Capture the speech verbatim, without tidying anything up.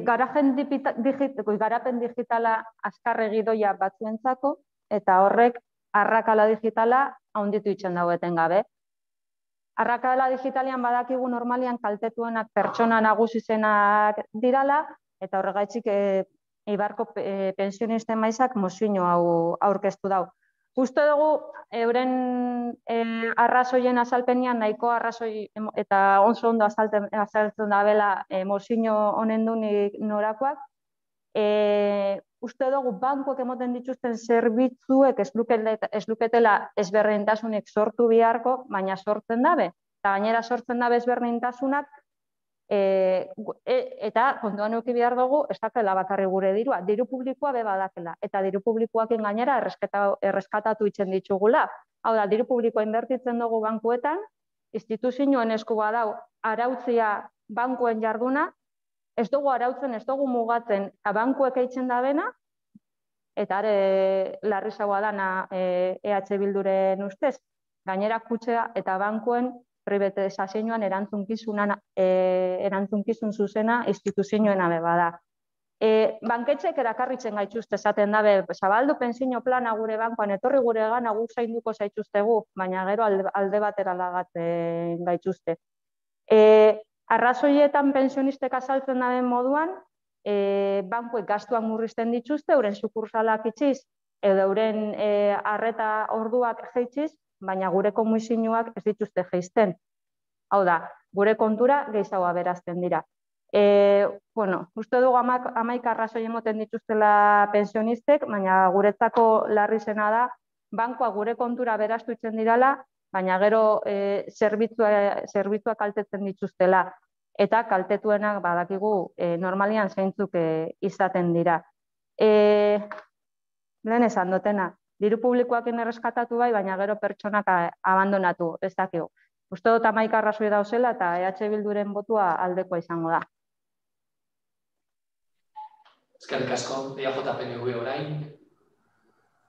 garapen digitala azkarregi doia batzuentzako, eta horrek arrakala digitala handitu itzen daueten gabe. Arrakala digitalian badakigu normalian kaltetuenak pertsona nagusizenak dirala, eta horregaitzik Eibarko pensionisten maizak mozio hau aurkeztu dau. Uste dugu, euren arrazoien azalpenian nahiko arrazoi eta oso ondo azaltzen dabela mozio honen dunik norakoak. Uste dugu, bankuak emoten dituzten zerbitzuek ez luketela ezberdintasunik sortu biharko, baina sortzen dabe. Eta gainera sortzen dabe ezberdintasunak, eta kontuan euki behar dugu, ez dakela bakarri gure dirua. Diru publikoa be badakela, eta diru publikoakin gainera erreskatatu itzen ditugula. Hau da, diru publikoa inbertitzen dugu bankuetan, instituzioen esku badau arautzia bankuen jarduna, ez dugu arautzen, ez dugu mugatzen, bankuek eitzen dabena, eta are larrizagoa dana E H Bilduren ustez, gainera kutxea eta bankuen privatizazioan erantzukizun zuzena instituzioen abe bada. Banketxek erakarritzen gaituzte esaten dabe, zabaldu pentsio plana gure bankoan, etorri gure gana gu zainduko zaituztegu, baina gero alde batera lagatzen gaituzte. Arrazoietan pensionistek azaltzen daben moduan, bankuek gastuak murrizten dituzte, euren sukursalak itxiz, edo euren arreta orduak jeitziz, baina gure komisioak ez dituzte jeizten. Hau da, gure kontura gehiagoa berazten dira. Uste dugu hamaika arrazoi emoten dituztela pensionistek, baina guretzako larri zena da, bankua gure kontura beraztu itzen dirala, baina gero zerbitzua kaltetzen dituztela. Eta kaltetuenak badakigu normalian zeintzuk izaten dira. Lehen esan dutena, diru publikoakin erreskatatu bai, baina gero pertsonak abandonatu, ez dakigu. Uste dut hamaika arrazoi dauzela eta E H Bilduren botua aldekoa izango da. Eskerrik asko, E J P N V orain.